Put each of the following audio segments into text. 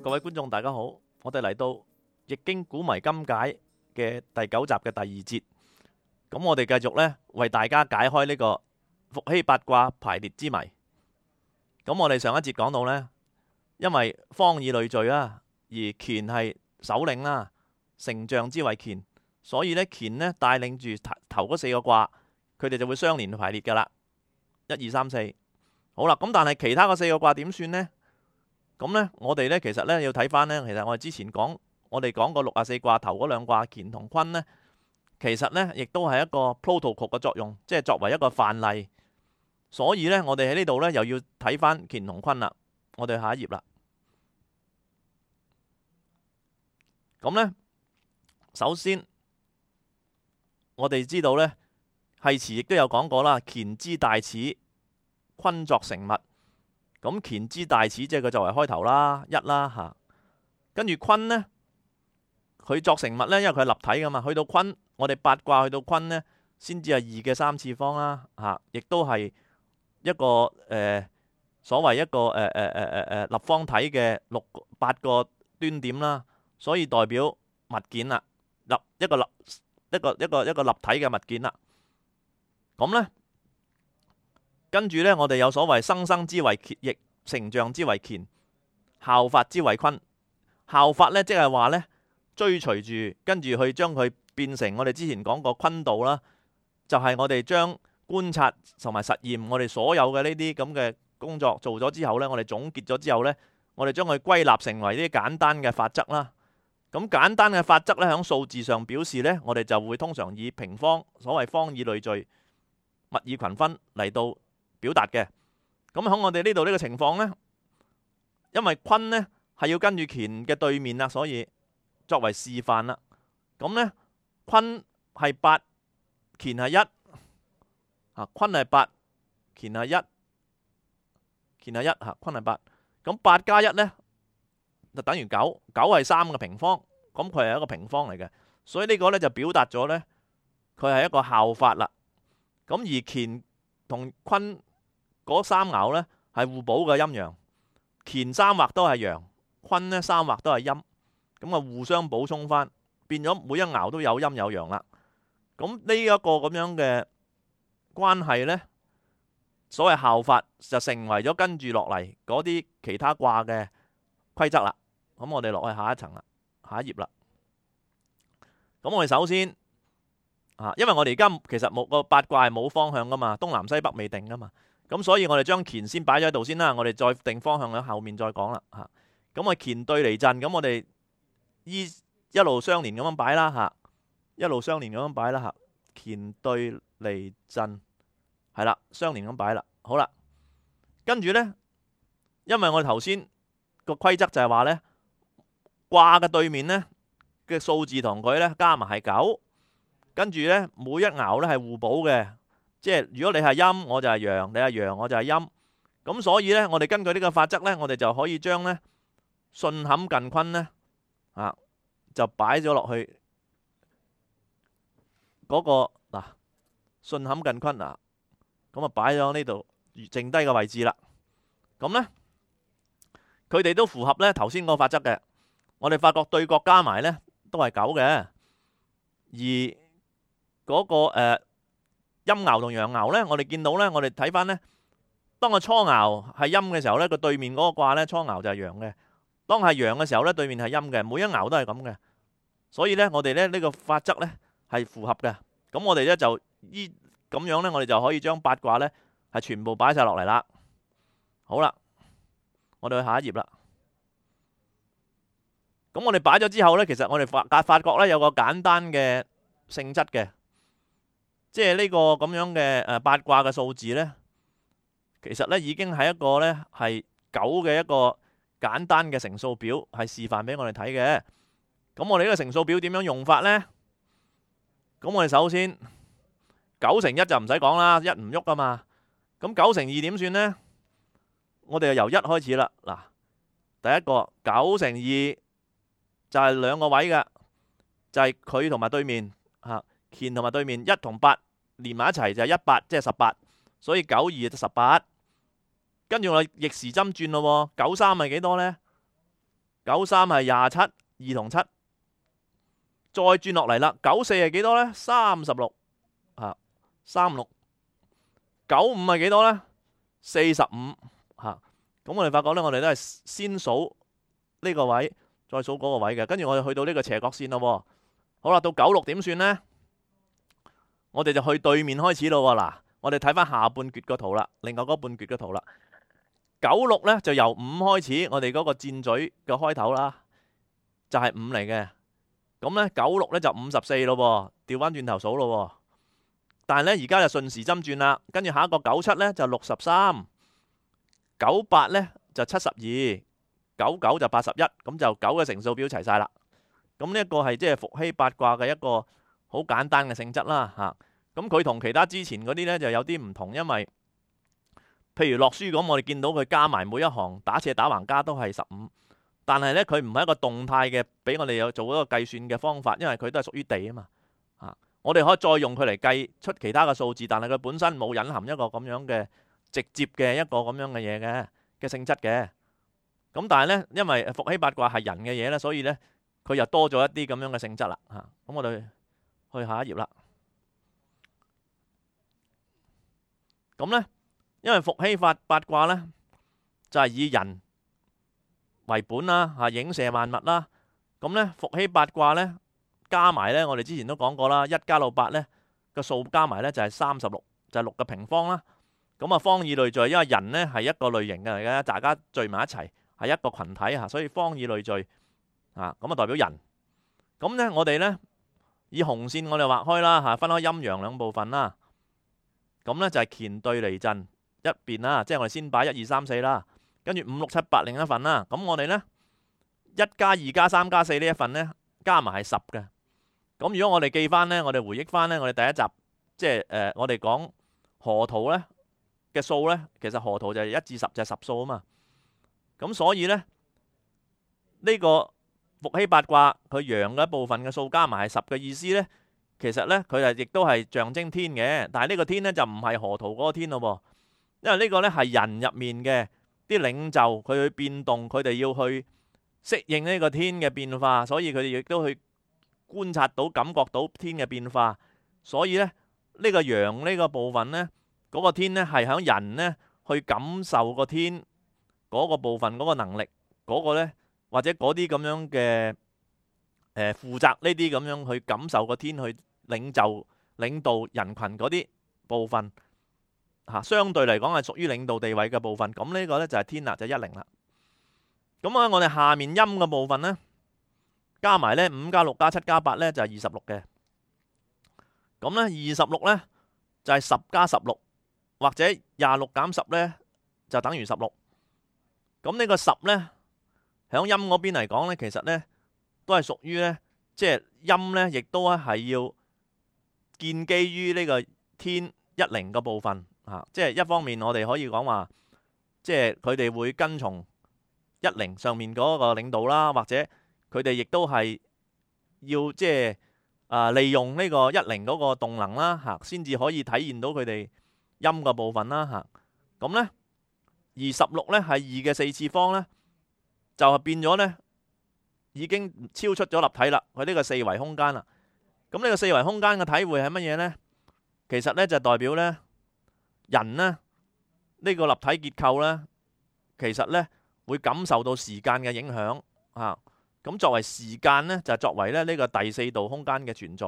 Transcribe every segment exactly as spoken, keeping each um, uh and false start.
各位觀眾大家好，我哋嚟到《易經古謎今解》嘅第九集嘅第二節，咁我哋繼續呢，為大家解開呢個伏羲八卦排列之謎。咁我哋上一節講到呢，因為方以類聚啦，而乾係首領啦，成象之為乾，所以呢，乾呢帶領住頭嗰四個卦，佢哋就會相連排列噶啦，一二三四。好啦，咁但係其他嗰四個卦點算呢？咁呢，我哋呢其實呢要睇翻呢。其實我哋之前講，我哋講過六十四卦頭嗰兩卦乾同坤呢，其實呢亦都係一個 protocol 嘅作用，即係作為一個範例。所以呢，我哋喺呢度呢又要睇翻乾同坤啦。我哋下一頁啦。咁呢，首先我哋知道呢，繫辭亦都有講過啦，乾之大始，坤作成物。咁乾之大始即係佢作為開頭啦，一啦吓。跟住坤呢，佢作成物呢，因為佢係立體噶嘛。去到坤，我哋八卦去到坤呢，先至係二嘅三次方啦吓，亦都係一個誒、呃、所謂一個誒誒誒誒誒立方體嘅六八個端點啦，所以代表物件啦，立一個立一個一個一個立體嘅物件啦。咁呢。跟住呢，我哋有所謂生生之為易，成象之為乾，效法之為坤。效法呢，即係話呢，追隨住，跟住去將佢變成我哋之前講過坤道啦，就係、是、我哋將觀察同埋實驗，我哋所有嘅呢啲咁嘅工作做咗之後呢，我哋總結咗之後呢，我哋將佢歸納成為呢啲簡單嘅法則啦。咁簡單嘅法則呢，喺數字上表示呢，我哋就會通常以平方，所謂方以類聚，物以群分嚟到表達嘅。咁喺我哋呢度呢個情況呢，因為坤呢係要跟住乾嘅對面啦，所以作為示範啦。咁呢，坤係八，乾係一，啊坤係八，乾係一，乾係一吓，坤係八。咁八加一呢，就等於九，九係三個平方，咁佢係一個平方嚟嘅，所以呢個呢就表達咗呢，佢係一個效法啦。咁而乾同坤嗰三爻呢係互補嘅陰陽，乾三畫都係陽，坤呢三畫都係陰，咁啊互相補充翻，變咗每一爻都有陰有陽啦。咁呢一個咁樣嘅關係呢，所謂效法就成為咗跟住落嚟嗰啲其他卦嘅規則啦。咁我哋落去下一層啦，下一頁啦。咁我哋首先啊，因為我哋而家其實冇個八卦係冇方向噶嘛，東南西北未定噶嘛。咁所以我哋將乾先擺咗喺度先啦，我哋再定方向喺後面再講啦吓。咁啊乾對離震，咁我哋依一路相連咁樣擺啦吓，一路相連咁樣擺啦吓。乾對離震係啦，相連咁擺啦。好啦，跟住呢，因為我哋頭先個規則就係話呢，卦嘅對面呢嘅數字同佢呢加埋係九，跟住呢，每一爻呢係互補嘅。即係如果你係陰，我就係陽；你係陽，我就係陰。咁所以呢，我哋根據呢個法則呢，我哋就可以將呢巽坎艮坤呢啊，就擺咗落去嗰、那個嗱巽坎艮坤啊，咁啊擺咗呢度剩低嘅位置啦。咁呢，佢哋都符合呢頭先個法則嘅。我哋發覺對角加埋呢都係九嘅，而嗰、那個誒。呃陰爻同陽爻呢，我哋見到呢，我哋睇翻呢，當個初爻係陰嘅時候呢，個對面嗰個卦呢，初爻就係陽嘅；當係陽嘅時候呢，對面係陰嘅。每一爻都係咁嘅，所以呢，我哋呢呢個法則呢係符合嘅。咁我哋呢就依咁樣呢，我哋就可以將八卦呢係全部擺晒落嚟啦。好啦，我哋去下一頁啦。咁我哋擺咗之後呢，其實我哋發發覺呢有個簡單嘅性質嘅。即係呢個咁樣嘅誒八卦嘅數字呢，其實呢已經係一個呢係九嘅一個簡單嘅乘數表，係示範俾我哋睇嘅。咁我哋呢個乘數表點樣用法呢？咁我哋首先九乘一就唔使講啦，一唔喐噶嘛。咁九乘二點算呢？我哋就由一開始啦。嗱，第一個九乘二就係兩個位嘅，就係佢同埋對面嚇。乾同埋對面一同八連埋一齊就係一八，即係十八，所以九二就十八。跟住我逆時針轉咯，九三係幾多呢？九三係廿七，二同七，再轉落嚟啦。九四係幾多呢？三十六啊，三六。九五係幾多呢？四十五嚇。咁我哋發覺呢，我哋都係先數呢個位，再數嗰個位嘅。跟住我哋去到呢個斜角線咯。好啦，到九六點算呢？我哋就去對面開始咯。嗱，我哋睇翻下半橛個圖啦，另外嗰半橛個圖啦。九六呢就由五開始，我哋嗰個箭嘴嘅開頭啦，就係五嚟嘅。咁呢九六呢就五十四咯，調翻轉頭數咯。但係呢而家就順時針轉啦，跟住下一個九七呢就六十三，九八呢就七十二，九九就八十一，咁就九嘅乘數表齊晒啦。咁呢一個係即係伏羲八卦嘅一個好簡單嘅性質啦嚇。咁佢同其他之前嗰啲呢就有啲唔同，因為譬如落書咁，我哋見到佢加埋每一行打斜打橫加都係十五，但係呢，佢唔係一個動態嘅，俾我哋有做一個計算嘅方法，因為佢都係屬於地啊嘛。啊，我哋可以再用佢嚟計出其他嘅數字，但係佢本身冇隱含一個咁樣嘅直接嘅一個咁樣嘅嘢嘅嘅性質嘅。咁但係呢，因為伏羲八卦係人嘅嘢呢，所以呢，佢又多咗一啲咁樣嘅性質啦。嚇，咁我哋去下一頁啦。咁呢，因為伏羲八八卦呢，就係以人為本啦，嚇，影射萬物啦。咁呢，伏羲八卦呢，加埋呢，我哋之前都講過啦，一加到八呢個數加埋呢就係三十六，就係六嘅平方啦。咁啊，方以類聚，因為人呢係一個類型嘅嚟嘅，大家聚埋一齊係一個群體嚇，所以方以類聚啊，咁啊代表人。咁呢，我哋呢，以紅線我哋畫開啦嚇，分開陰陽兩部分啦。咁呢，就係乾兌離震一邊啦，即係我哋先擺一二三四啦，跟住五六七八另一份啦。咁我哋呢，一加二加三加四呢一份呢，加埋係十嘅。咁如果我哋記翻呢，我哋回憶翻呢，我哋第一集即係誒，我哋講河圖呢嘅數呢，其實河圖就係一至十就係十數啊嘛。咁所以呢，呢個伏羲八卦佢陽嘅一部分嘅數加埋係十嘅意思呢，其實呢，佢係亦都係象徵天嘅，但係呢個天呢，就唔係河圖嗰個天咯噃，因為呢個呢係人入面嘅啲領袖，佢去變動，佢哋要去適應呢個天嘅變化，所以佢哋亦都去觀察到、感覺到天嘅變化。所以呢，呢個陽呢個部分呢，嗰個天呢係響人呢去感受個天嗰個部分嗰個能力，嗰個呢或者嗰啲咁樣嘅誒負責呢啲咁樣去感受個天去。領袖、領導人群嗰啲部分嚇，相對嚟講係屬於領導地位嘅部分。咁呢個呢就係天啦，就一零啦。咁啊，我哋下面陰嘅部分呢，加埋呢五加六加七加八呢，就係二十六嘅。咁呢二十六呢，就係十加十六，或者廿六減十呢，就等於十六。咁呢個十呢，響陰嗰邊嚟講呢，其實呢都係屬於呢，即係陰呢，亦都係要建基於呢個天一零嘅部分嚇，即係一方面我哋可以講話，即係佢哋會跟從一零上面嗰個領導啦，或者佢哋亦都係要即係啊利用呢個一零嗰個動能啦嚇，先至可以體現到佢哋陰嘅部分啦嚇。咁呢，而十六呢係二嘅四次方呢，就係變咗呢已經超出咗立體啦，佢呢個四維空間啦。咁呢個四維空間嘅體會係乜嘢呢？其實呢就代表呢人呢呢個立體結構呢，其實呢會感受到時間嘅影響啊。咁作為時間呢，就作為咧呢個第四度空間嘅存在。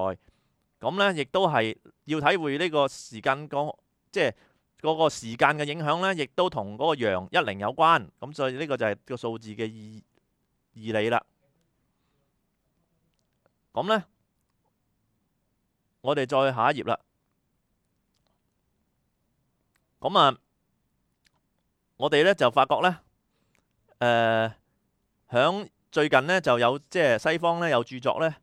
咁呢亦都係要體會呢個時間個即係嗰個時間嘅影響呢，亦都同嗰個陽一零有關。咁所以呢個就係個數字嘅意義理啦。咁呢。我哋再下一頁啦。咁啊，我哋咧就發覺咧，誒、呃，響最近咧就有即係西方咧有著作咧，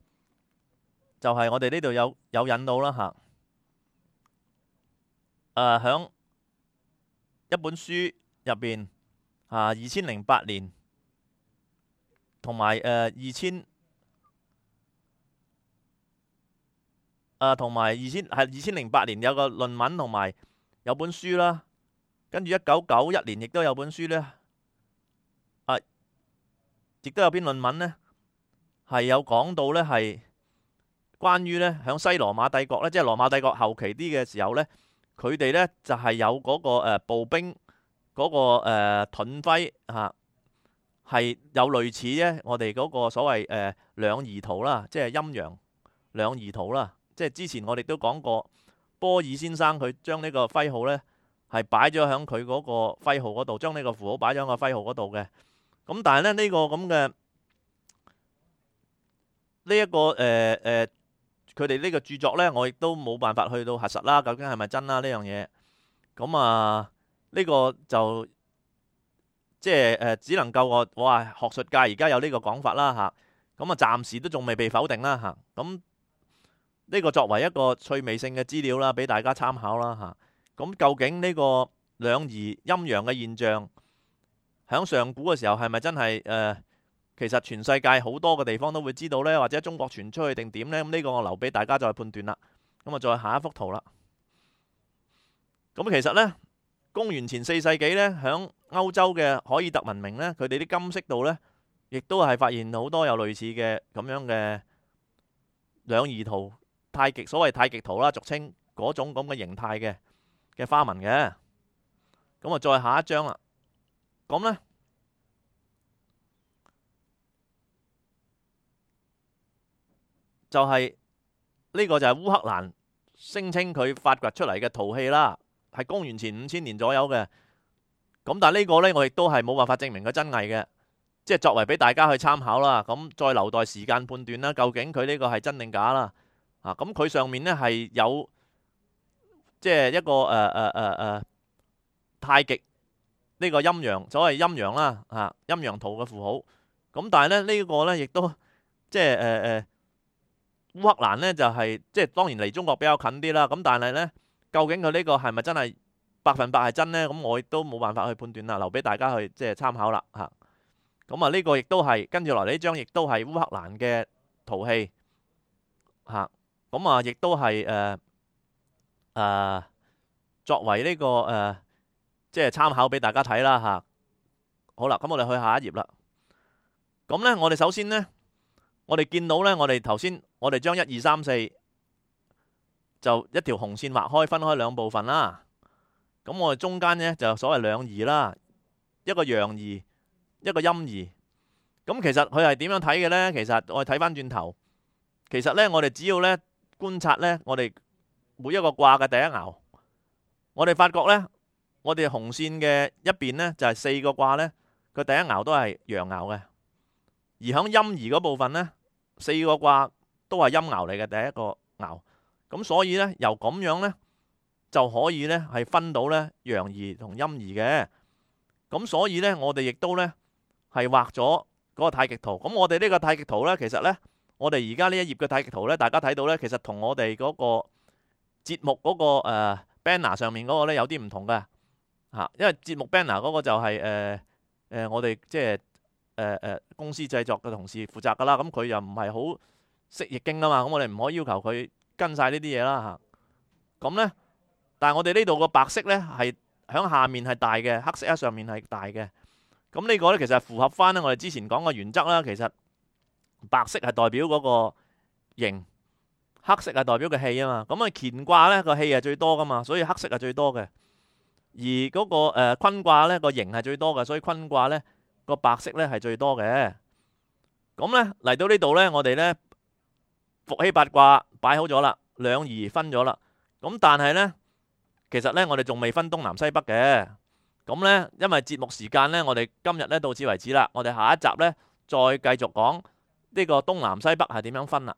就係、是、我哋呢度有有引到啦嚇。誒、呃，響一本書入邊啊，二千零八年同埋誒二千。啊，同埋二千係二千零八年有個論文，同埋有本書啦。跟住一九九一年亦都有本書咧。啊，亦都有篇論文呢，係有講到呢，係關於呢，響西羅馬帝國呢，即係羅馬帝國後期啲嘅時候呢，佢哋呢就係有嗰個誒步兵嗰個誒盾徽嚇，係有類似呢我哋嗰個所謂誒兩儀圖啦，即係陰陽兩儀圖啦。即係之前我哋都講過，波爾先生佢將呢個徽號呢係擺咗喺佢嗰個徽號嗰度，將呢個符號擺咗喺個徽號嗰度嘅。咁但係咧呢個咁嘅呢一個誒誒，佢哋呢個著作呢，我亦都冇辦法去到核實啦，究竟係咪真啦呢樣嘢？咁啊呢個就即係誒，只能夠我我話學術界而家有呢個講法啦嚇。咁啊暫時都仲未被否定啦嚇。咁呢個作為一個趣味性嘅資料啦，俾大家參考啦嚇。咁究竟呢個兩儀陰陽嘅現象，喺上古嘅時候係咪真係誒、呃？其實全世界好多嘅地方都會知道呢，或者中國傳出去定點呢？咁呢個我留俾大家再判斷啦。咁啊，再下一幅圖啦。咁其實呢，公元前四世紀呢，喺歐洲嘅凱爾特文明呢，佢哋啲金飾度呢，亦都係發現好多有類似嘅咁樣嘅兩儀圖。太極所謂太極圖啦，俗稱嗰種咁嘅形態嘅嘅花紋嘅。咁啊，再下一張啦。咁呢，就係、是、呢、這個就係烏克蘭聲稱佢發掘出嚟嘅陶器啦，係公元前五千年左右嘅。咁但係呢個呢，我亦都係冇辦法證明佢真偽嘅，即係作為俾大家去參考啦。咁再留待時間判斷啦，究竟佢呢個係真定假啦。啊，咁佢上面呢係有即係一個誒誒誒誒太極呢個陰陽，所謂陰陽啦，啊陰陽圖嘅符號。咁但係咧呢、這個呢亦都即係誒誒烏克蘭呢就係、是、即係當然離中國比較近啲啦。咁但係呢，究竟佢呢個係咪真係百分百係真呢？咁我亦都冇辦法去判斷啦，留俾大家去即係參考啦嚇。咁啊呢個亦都係跟住落嚟呢張亦都係烏克蘭嘅陶器嚇。咁啊，亦都係誒誒作為呢、這個誒、呃、即係參考俾大家睇啦嚇。好啦，咁我哋去下一頁啦。咁呢，我哋首先呢，我哋見到呢，我哋頭先我哋將一二三四就一條紅線畫開，分開兩部分啦。咁我哋中間呢，就所謂兩儀啦，一個陽儀，一個陰儀。咁其實佢係點樣睇嘅呢？其實我哋睇翻轉頭，其實呢，我哋只要呢。觀察呢，我哋每一個卦嘅第一爻，我哋發覺呢，我哋紅線嘅一邊呢，就係四個卦呢，佢第一爻都係陽爻嘅，而響陰儀嗰部分呢，四個卦都係陰爻嚟嘅第一個爻，咁所以呢，由咁樣呢，就可以呢係分到呢陽儀同陰儀嘅，咁所以呢，我哋亦都呢係畫咗嗰個太極圖。咁我哋呢個太極圖呢，其實呢。我哋而家呢一頁嘅太極圖呢，大家睇到呢，其實同我哋嗰個節目嗰、嗰個、呃、banner 上面嗰個呢有啲唔同嘅嚇，因為節目 banner 嗰個就係誒誒我哋即係誒誒公司製作嘅同事負責噶啦，咁佢又唔係好識易經啊嘛，咁我哋唔可以要求佢跟晒呢啲嘢啦嚇。咁呢，但係我哋呢度個白色呢係響下面係大嘅，黑色喺上面係大嘅。咁呢個呢，其實係符合翻呢我哋之前講嘅原則啦，其實。白色係代表嗰個形，黑色係代表個氣啊嘛。咁啊乾卦呢個氣係最多噶嘛，所以黑色係最多嘅。而嗰個誒坤卦呢個形係最多嘅，所以坤卦呢個白色呢係最多嘅。咁呢嚟到呢度呢，我哋呢伏羲八卦擺好咗啦，兩儀分咗啦。咁但係呢，其實呢我哋仲未分東南西北嘅。咁呢因為節目時間呢，我哋今日呢到此為止啦。我哋下一集呢再繼續講。呢個東南西北係點樣分啦？